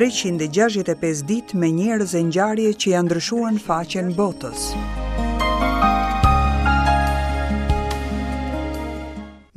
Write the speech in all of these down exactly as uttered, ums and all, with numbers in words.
treqind e gjashtëdhjetë e pesë ditë me njerëz e ngjarje që janë ndryshuar në faqen botës.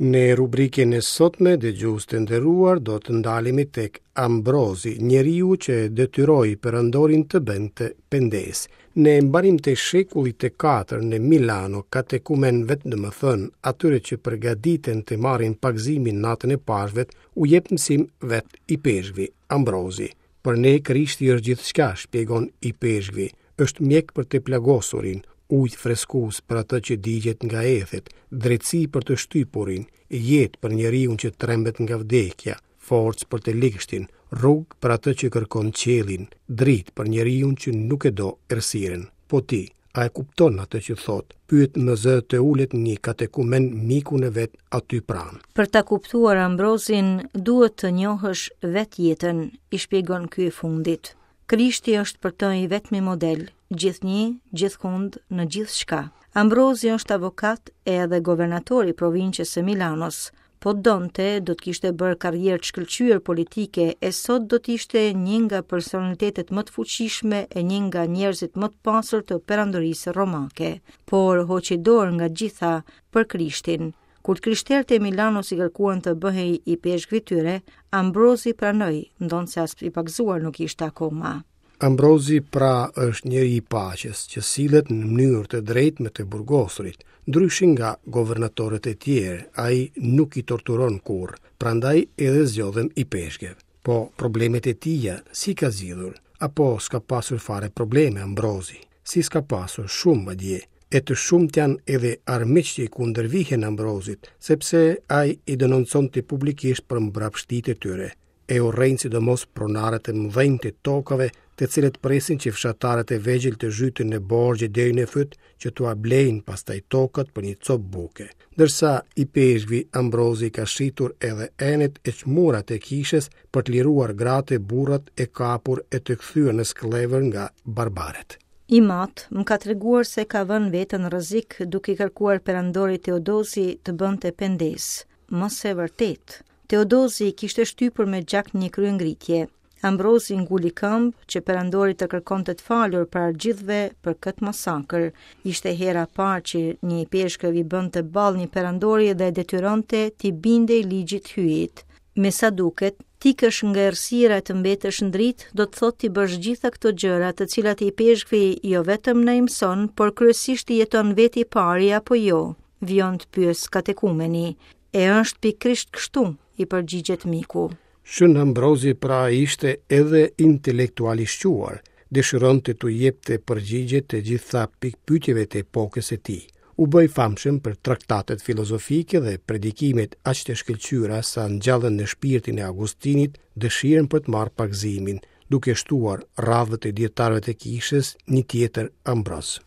Në rubrikën e sotme, dëgjues të nderuar, do të ndalemi tek Ambrozi, njeriu që detyroi perandorin të bënte pendesë. Në mbarim të shekullit të katër në Milano, katekumenëve, domethënë atyre që përgatiten të marrin pagëzimin natën e Pashkëve, u jep mësim vetë ipeshkvi Ambrozi. Për ne Krishti është gjithçka, shpjegon ipeshkvi, është mjek për të plagosurin, ujë freskues për atë që digjet nga ethet, drejtësi për të shtypurin, jetë për njeriun që trembet nga vdekja, forcë për të ligshtin, rrugë për atë që kërkon qiellin, dritë për njeriun që nuk e do errësirën. Po ti, a e kupton atë që thot? Pyet më zë të ulet një katekumen mikun e vet aty pranë. Për ta kuptuar Ambrozin, duhet të njohësh vetë jetën, i shpjegon ky i fundit. Krishti është për të i vetmi model, gjithnjë, gjithkund, në gjithçka. Ambrozi është avokat edhe governator i provincës së Milanos. Po donte, do të kishte bërë karrierë të shkëlqyer politike e sot do të ishte një nga personalitetet më të fuqishme e një nga njerëzit më të pasur të perandorisë romake. Por hoqi dorë nga gjitha për Krishtin. Kur të krishterët e Milanos i kërkuan të bëhej i peshkvi tyre, Ambrozi pranoi, ndonëse as i pagëzuar nuk ishte akoma. Ambrozi pra është njeri i paqes që sillet në mënyrë të drejtë me të burgosurit, ndryshe nga governatorët e tjerë, ai nuk i torturon kurrë, prandaj edhe zgjodhëm i peshkëve. Po problemet e tija si ka zgjidhur, apo s'ka pasur fare probleme Ambrozi? Si s'ka pasur shumë madje, e të shumtë janë edhe armiqtë që i kundërvihen Ambrozit, sepse ai i denonconte publikisht për mbrapshtitë e tyre. E urrejnë sidomos pronarët e mëdhenj të tokave, të cilët presin që fshatarët e vegjël të zhyten në borxhe deri në fyt, që t'ua blejnë pastaj tokat për një copë buke. Ndërsa i peshkvi Ambrozi ka shitur edhe enët e çmurat e kishës për të liruar gratë e burrat e kapur e të kthyer në skllevër nga barbarët. I mat më ka treguar se ka vënë veten në rrezik duke i kërkuar perandorit Teodozi të bënte pendesë. Më se vërtet, Teodozi kishte shtypur me gjak një kryengritje. Ambrozi nguli këmbë që perandori të kërkonte të falur para gjithëve për këtë masakër. Ishte hera e parë që një peshkëv i bënte ballë një perandori dhe detyronte t'i bindej ligjit hyjit. Me sa duket, t'ikësh nga errësira e të mbetesh në dritë, do të thotë t'i bësh gjitha këto gjëra të cilat i peshkvi jo vetëm na i mëson, por kryesisht i jeton vetë i pari apo jo, vijon të pyes katekumeni. E është pikërisht kështu, i përgjigjet miku. Shën Ambrozi pra ishte edhe intelektual i shquar, dëshironte t'u jepte përgjigje të gjitha pikpyetjeve të epokës së tij. U bë i famshëm për traktatet filozofike dhe predikimet aq të shkëlqyera sa ngjallën në shpirtin e Augustinit dëshirën për të marrë pagëzimin, duke shtuar radhët e dietarëve të kishës një tjetër Ambroz.